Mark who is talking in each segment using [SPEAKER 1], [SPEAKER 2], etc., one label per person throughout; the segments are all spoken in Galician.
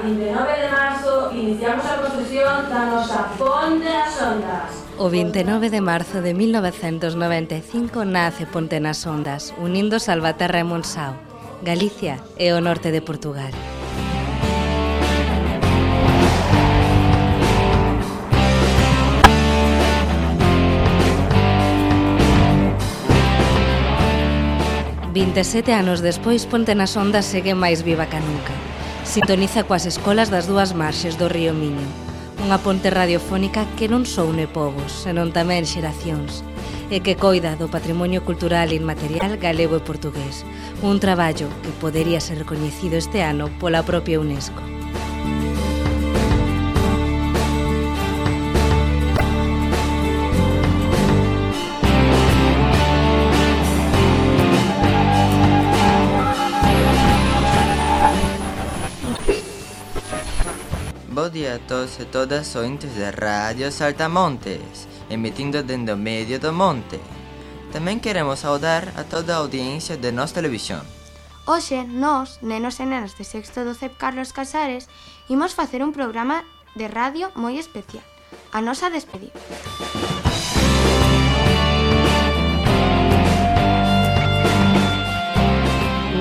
[SPEAKER 1] 29 de marzo iniciamos a construción da nosa Ponte nas Ondas.
[SPEAKER 2] O 29 de marzo de 1995 nace Ponte nas Ondas, unindo Salvaterra e Monsáu, Galicia e o norte de Portugal. «27 anos despois, Ponte nas Ondas segue máis viva ca nunca. Sintoniza coas escolas das dúas marxes do río Miño. Unha ponte radiofónica que non só une povos, senón tamén xeracións, e que coida do patrimonio cultural inmaterial galego e portugués. Un traballo que podería ser recoñecido este ano pola propia UNESCO.
[SPEAKER 3] Bo día a todos e todas ointes de Radio Saltamontes, emitindo dende o medio do monte. Tamén queremos saudar a toda a audiencia de Nos Televisión.
[SPEAKER 4] Hoxe, nós, nenos e nenas de sexto do CEP Carlos Casares, imos facer un programa de radio moi especial, a nosa despedida.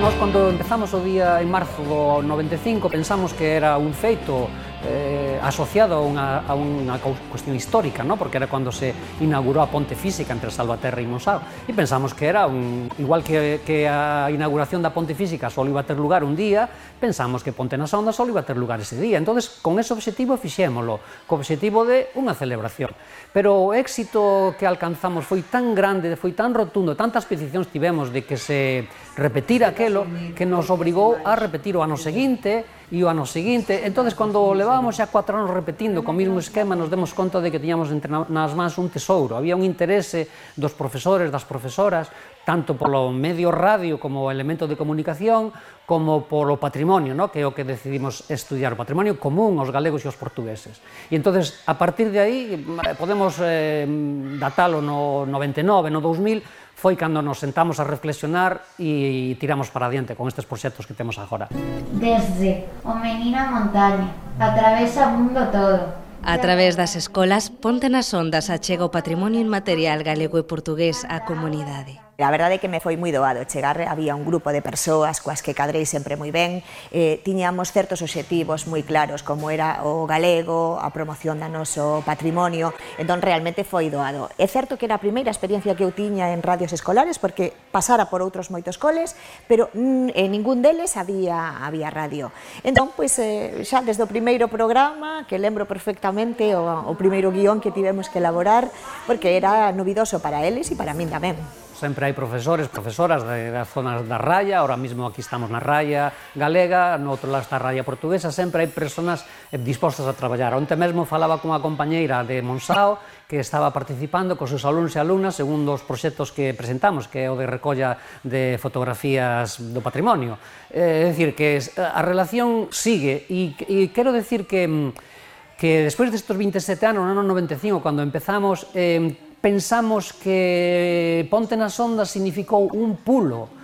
[SPEAKER 5] Nós, cando empezamos o día en marzo do 95, pensamos que era un feito asociado a unha cuestión histórica, ¿no? Porque era cando se inaugurou a ponte física entre Salvaterra e Monsáu, e pensamos que era igual que a inauguración da ponte física só iba a ter lugar un día, pensamos que Ponte nas Ondas só iba a ter lugar ese día. Entonces, con ese obxectivo fixémolo, co obxectivo de unha celebración. Pero o éxito que alcanzamos foi tan grande, foi tan rotundo, tantas peticións tivemos de que se repetira aquelo, que nos obrigou a repetir o ano seguinte e o ano seguinte. Entonces, cando levábamos xa 4 anos repetindo co mesmo esquema, nos demos conta de que tiñamos entre nas mans un tesouro. Había un interese dos profesores, das profesoras, tanto polo medio radio como elemento de comunicación, como polo patrimonio, ¿no? Que é o que decidimos estudiar, o patrimonio común aos galegos e aos portugueses. E entonces, a partir de aí, podemos datalo no 99, no 2000, foi cando nos sentamos a reflexionar e tiramos para adiante con estes proxectos que temos agora.
[SPEAKER 6] Desde o menino a montaña, atravesa o mundo todo.
[SPEAKER 2] A través das escolas, Ponte nas Ondas achega o patrimonio inmaterial galego e portugués á comunidade.
[SPEAKER 7] A verdade é que me foi moi doado chegar, había un grupo de persoas coas que cadrei sempre moi ben, tiñamos certos obxectivos moi claros, como era o galego, a promoción do noso patrimonio, entón realmente foi doado. É certo que era a primeira experiencia que eu tiña en radios escolares, porque pasara por outros moitos coles, pero en ningún deles había radio. Entón, pois, xa desde o primeiro programa, que lembro perfectamente o primeiro guión que tivemos que elaborar, porque era novidoso para eles e para min tamén.
[SPEAKER 5] Sempre hai profesores, profesoras das zonas da raya, ahora mesmo aquí estamos na raya galega, no outro lado está a raya portuguesa, sempre hai persoas dispostas a traballar. Onte mesmo falaba cunha compañeira de Monsáu que estaba participando cos seus alumnos e alumnas en un dos proxectos que presentamos, que é o de recolla de fotografías do patrimonio. É dicir, que a relación sigue, e quero decir que despois destes 27 anos, no ano 95, cando empezamos, pensamos que Ponte nas Ondas significou un pulo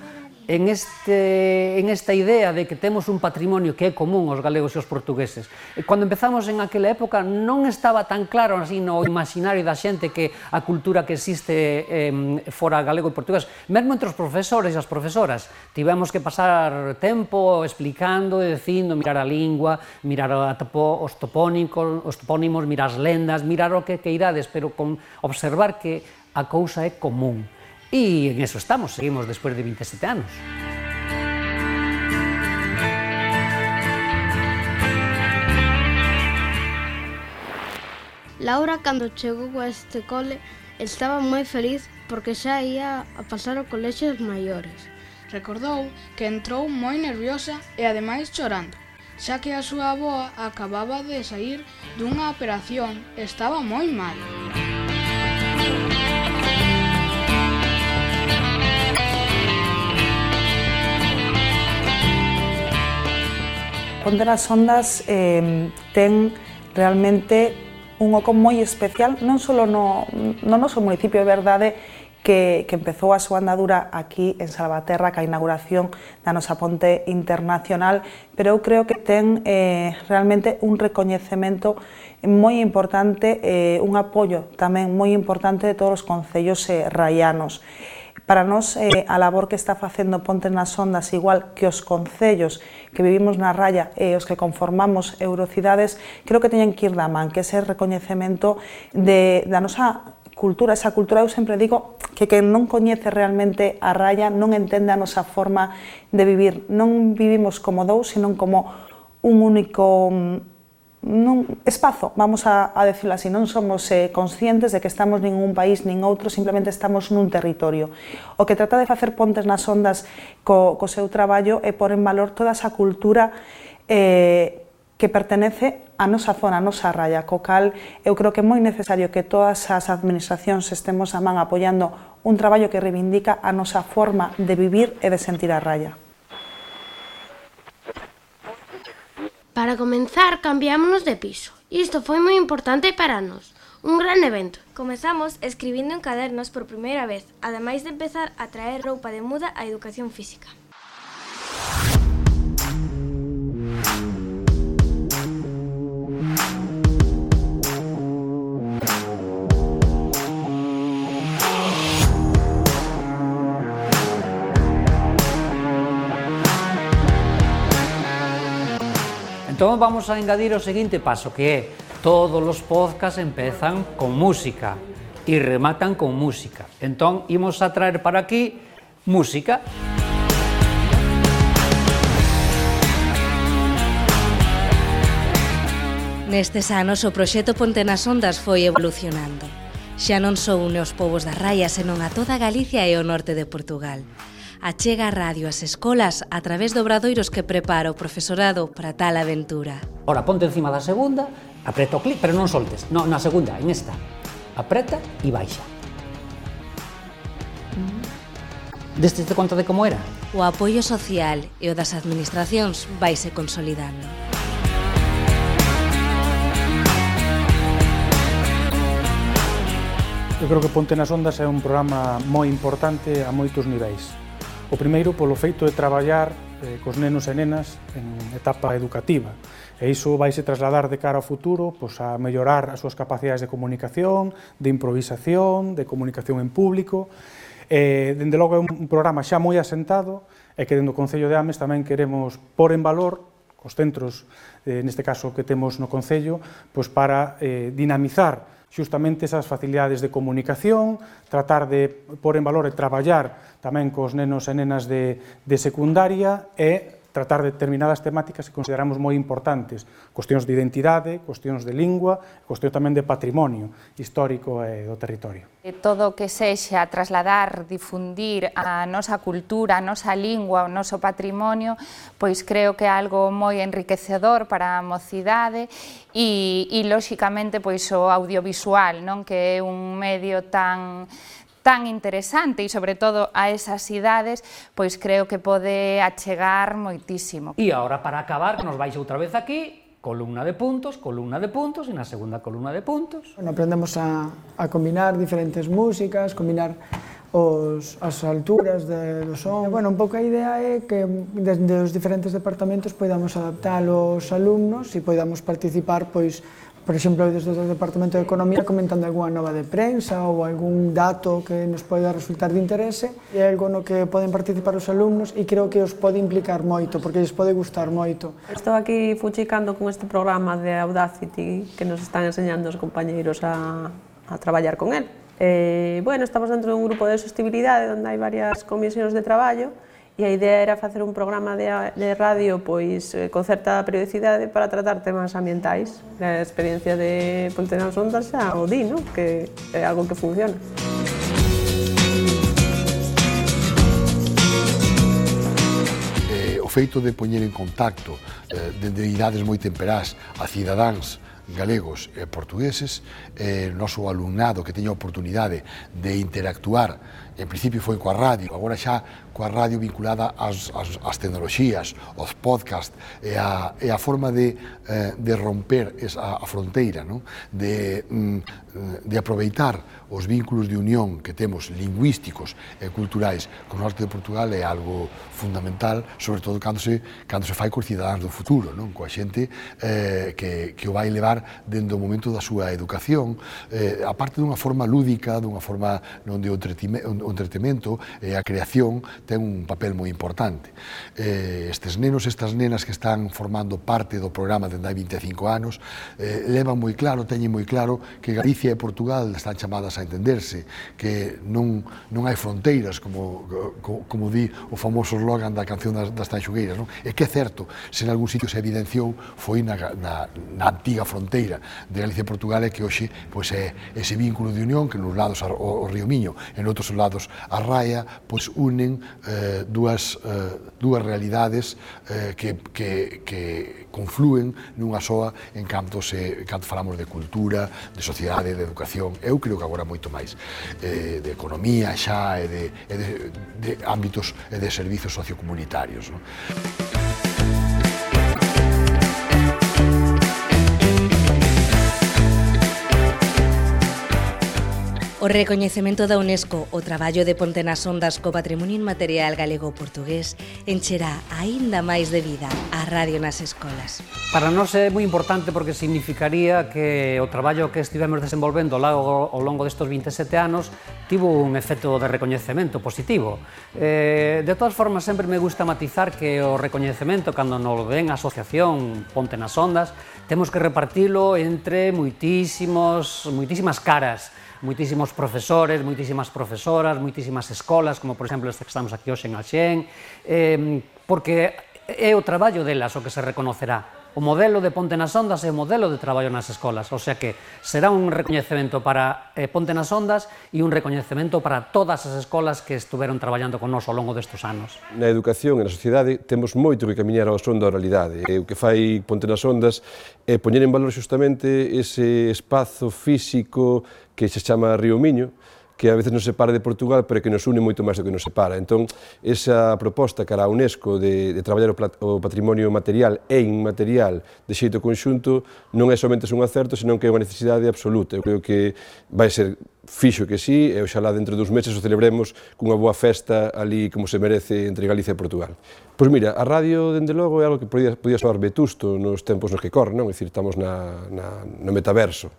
[SPEAKER 5] en esta idea de que temos un patrimonio que é común aos galegos e aos portugueses. Cando empezamos en aquela época non estaba tan claro así no imaginario da xente que a cultura que existe fora galego e portugués, mesmo entre os profesores e as profesoras, tivemos que pasar tempo explicando e dicindo, mirar a lingua, mirar os topónimos, mirar as lendas, mirar o que queirades, pero con observar que a cousa é común. E en eso estamos, seguimos despois de 27 anos.
[SPEAKER 8] Laura, cando chegou a este cole, estaba moi feliz porque xa ia a pasar ao colexio dos maiores.
[SPEAKER 9] Recordou que entrou moi nerviosa e ademais chorando, xa que a súa avoa acababa de saír dunha operación e estaba moi mal.
[SPEAKER 10] Ponte nas Ondas ten realmente un oco moi especial, non só no noso municipio. É verdade que empezou a súa andadura aquí en Salvaterra ca inauguración da nosa ponte internacional, pero eu creo que ten realmente un recoñecemento moi importante, un apoio tamén moi importante de todos os concellos raianos. Para nós, a labor que está facendo Pontes nas Ondas, igual que os concellos que vivimos na raya e os que conformamos Eurocidades, creo que teñen que ir da man, que ese recoñecemento da nosa cultura, esa cultura, eu sempre digo que quen non coñece realmente a raya non entende a nosa forma de vivir. Non vivimos como dous, sino como un único espazo, vamos a decirlo así, non somos conscientes de que estamos nin un país nin outro, simplemente estamos nun territorio. O que trata de facer Pontes nas Ondas co seu traballo é pôr en valor toda esa cultura que pertenece a nosa zona, a nosa raya, co cal eu creo que é moi necesario que todas as administracións estemos a man apoiando un traballo que reivindica a nosa forma de vivir e de sentir a raya.
[SPEAKER 8] Para comenzar, cambiámonos de piso. Isto foi moi importante para nós. Un gran evento.
[SPEAKER 11] Comezamos escribindo en cadernos por primeira vez, ademais de empezar a traer roupa de muda á educación física.
[SPEAKER 5] Entón vamos a engadir o seguinte paso, que é todos os podcasts empezan con música e rematan con música. Entón imos a traer para aquí música.
[SPEAKER 2] Nestes anos o proxecto Ponte nas Ondas foi evolucionando. Xa non só une os povos da Raia, senón a toda Galicia e o norte de Portugal. Achega a radio ás escolas a través de obradoiros que prepara o profesorado para tal aventura.
[SPEAKER 5] Ora, ponte encima da segunda, apreta o clic, pero non soltes. No, na segunda, en esta. Apreta e baixa. Deste te conta de como era?
[SPEAKER 2] O apoio social e o das administracións vaise consolidando.
[SPEAKER 12] Eu creo que Ponte nas Ondas é un programa moi importante a moitos niveis. O primeiro, polo feito de traballar cos nenos e nenas en etapa educativa. E iso vaise trasladar de cara ao futuro a mellorar as súas capacidades de comunicación, de improvisación, de comunicación en público. Dende logo é un programa xa moi asentado e que dentro do Concello de Ames tamén queremos pôr en valor os centros, neste caso que temos no Concello, para dinamizar xustamente esas facilidades de comunicación, tratar de pôr en valor e traballar tamén cos nenos e nenas de secundaria e tratar determinadas temáticas que consideramos moi importantes, cuestións de identidade, cuestións de lingua, cuestións tamén de patrimonio histórico e do territorio.
[SPEAKER 13] Todo o que sexa trasladar, difundir a nosa cultura, a nosa lingua, o noso patrimonio, pois creo que é algo moi enriquecedor para a mocidade e lóxicamente pois o audiovisual, non, que é un medio tan interesante e, sobre todo, a esas idades, pois creo que pode achegar moitísimo.
[SPEAKER 5] E agora, para acabar, que nos vais outra vez aquí, columna de puntos, e na segunda columna de puntos.
[SPEAKER 14] Aprendemos a combinar diferentes músicas, combinar as alturas do son. Un pouco a idea é que desde os diferentes departamentos podamos adaptar os alumnos e podamos participar, por exemplo, desde o Departamento de Economía comentando algunha nova de prensa ou algún dato que nos poida resultar de interese. É algo no que poden participar os alumnos e creo que os pode implicar moito, porque lles pode gustar moito.
[SPEAKER 15] Estou aquí fuchicando con este programa de Audacity que nos están enseñando os compañeiros a traballar con él. Estamos dentro dun grupo de sostenibilidade onde hai varias comisións de traballo e a idea era facer un programa de radio con certa periodicidade para tratar temas ambientais. A experiencia de Ponte nas Ondas xa o di, que é algo que funciona.
[SPEAKER 16] O feito de poñer en contacto dende idades moi temperás a cidadáns galegos e portugueses, o noso alumnado que teña a oportunidade de interactuar, en principio foi coa radio, agora xa coa radio vinculada ás tecnoloxías, aos podcast, e a forma de romper a fronteira, de aproveitar os vínculos de unión que temos lingüísticos e culturais co norte de Portugal é algo fundamental, sobre todo cando se fai cos cidadáns do futuro, coa xente que o vai levar dentro do momento da súa educación, aparte dunha forma lúdica, dunha forma onde o entretemento e a creación ten un papel moi importante. Estes nenos e estas nenas que están formando parte do programa dende hai 25 anos levan moi claro, teñen moi claro que Galicia e Portugal están chamadas a entenderse, que non hai fronteiras, como di o famoso slogan da canción das Tanxugueiras, e que é certo, se en algún sitio se evidenciou foi na antiga fronteira de Galicia e Portugal, e que hoxe é ese vínculo de unión que nos lados ao Río Miño e en outros lados a Raia unen dúas realidades que confluen nunha soa en canto falamos de cultura, de sociedade, de educación, eu creo que agora moito máis, de economía xa e de ámbitos e de servizos sociocomunitarios.
[SPEAKER 2] O recoñecemento da UNESCO o traballo de Ponte nas Ondas co patrimonio inmaterial galego-portugués encherá aínda máis de vida a radio nas escolas.
[SPEAKER 5] Para nós é moi importante porque significaría que o traballo que estivemos desenvolvendo ao longo destes 27 anos tivo un efecto de recoñecemento positivo. De todas formas, sempre me gusta matizar que o recoñecemento, cando nos ven a asociación Ponte nas Ondas, temos que repartilo entre moitísimas caras, moitísimos profesores, moitísimas profesoras, moitísimas escolas, como por exemplo este que estamos aquí hoxe en Alxén, porque é o traballo delas o que se reconocerá. O modelo de Ponte nas Ondas é o modelo de traballo nas escolas, o sea que será un recoñecemento para Ponte nas Ondas e un recoñecemento para todas as escolas que estuveron traballando con nós ao longo destes anos.
[SPEAKER 17] Na educación e na sociedade temos moito que camiñar ao son da oralidade. O que fai Ponte nas Ondas é poñer en valor xustamente ese espazo físico que se chama Río Miño, que a veces nos separa de Portugal, pero que nos une moito máis do que nos separa. Entón, esa proposta cara a UNESCO de traballar o patrimonio material e inmaterial de xeito conxunto non é somente un acerto, senón que é unha necesidade absoluta. Eu creo que vai ser fixo que sí, e oxalá dentro dos meses o celebremos cunha boa festa ali como se merece entre Galicia e Portugal. Pois mira, a radio, dende logo, é algo que podía soar vetusto nos tempos nos que corren, non? É dicir, estamos no metaverso.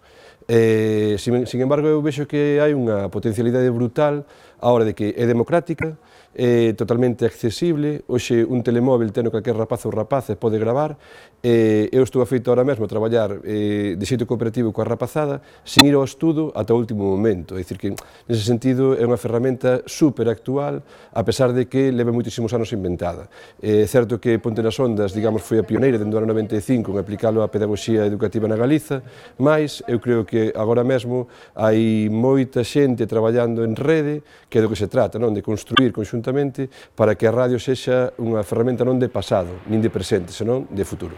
[SPEAKER 17] Sin embargo, eu vexo que hai unha potencialidade brutal a hora de que é democrática, é totalmente accesible, hoxe un telemóvil teno calquer rapaz ou rapaza pode gravar, eu estou afeito ahora mesmo a traballar de xeito cooperativo coa rapazada sin ir ao estudo ata o último momento, é dicir que nese sentido é unha ferramenta super actual, a pesar de que leva moitísimos anos inventada. É certo que Ponte nas Ondas, digamos, foi a pioneira dentro do ano 95 en aplicalo á pedagogía educativa na Galiza, mas eu creo que agora mesmo hai moita xente traballando en rede, que é do que se trata, non? De construir conxuntamente para que a radio sexa unha ferramenta non de pasado, nin de presente, senón de futuro.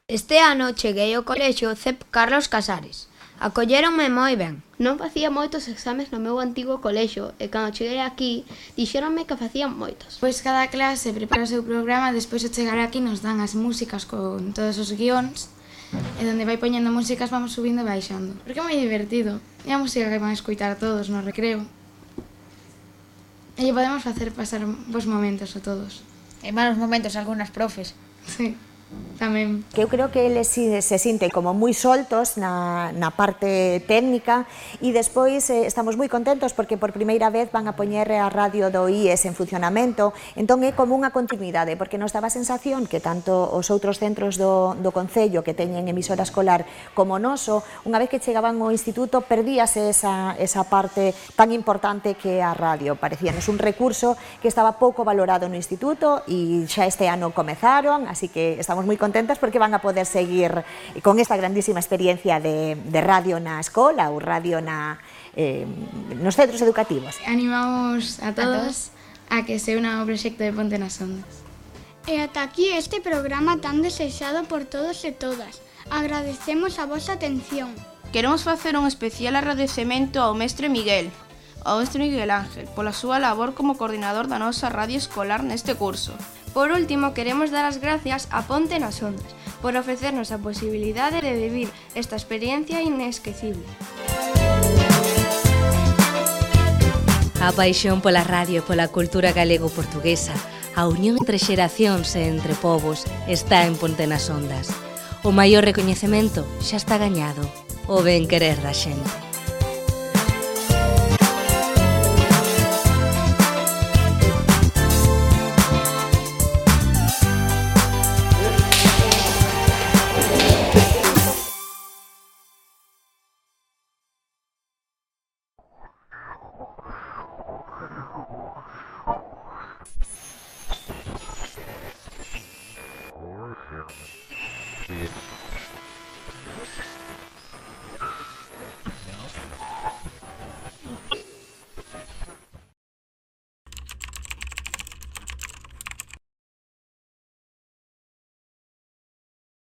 [SPEAKER 18] Este ano cheguei ao colexio CEP Carlos Casares. Acolléronme moi ben.
[SPEAKER 8] Non facía moitos exames no meu antigo colexio e cando cheguei aquí dixéronme que facían moitos.
[SPEAKER 19] Pois cada clase prepara o seu programa, despois de chegar aquí nos dan as músicas con todos os guións e onde vai poñendo músicas vamos subindo e baixando. Porque é moi divertido. É a música que van a escoitar todos no recreo. E podemos facer pasar bons momentos a todos.
[SPEAKER 18] E malos momentos a algunhas profes.
[SPEAKER 19] Sí, tamén.
[SPEAKER 7] Que eu creo que eles se sinten como moi soltos na parte técnica e despois estamos moi contentos porque por primeira vez van a poñer a radio do IES en funcionamento, entón é como unha continuidade, porque nos daba a sensación que tanto os outros centros do Concello que teñen emisora escolar como o noso, unha vez que chegaban ao instituto perdíase esa parte tan importante que é a radio, parecíanos un recurso que estaba pouco valorado no instituto e xa este ano comezaron, así que estamos moi contentas porque van a poder seguir con esta grandísima experiencia de radio na escola ou radio nos centros educativos.
[SPEAKER 19] Animamos a todos a que se una o proxecto de Ponte nas Ondas.
[SPEAKER 20] E ata aquí este programa tan desexado por todos e todas. Agradecemos a vosa atención.
[SPEAKER 21] Queremos facer un especial agradecemento ao mestre Miguel Ángel, pola súa labor como coordinador da nosa radio escolar neste curso.
[SPEAKER 11] Por último, queremos dar as gracias a Ponte nas Ondas por ofrecernos a posibilidade de vivir esta experiencia inesquecible.
[SPEAKER 2] A paixón pola radio e pola cultura galego-portuguesa, a unión entre xeracións e entre povos está en Ponte nas Ondas. O maior recoñecemento xa está gañado, o ben querer da xente.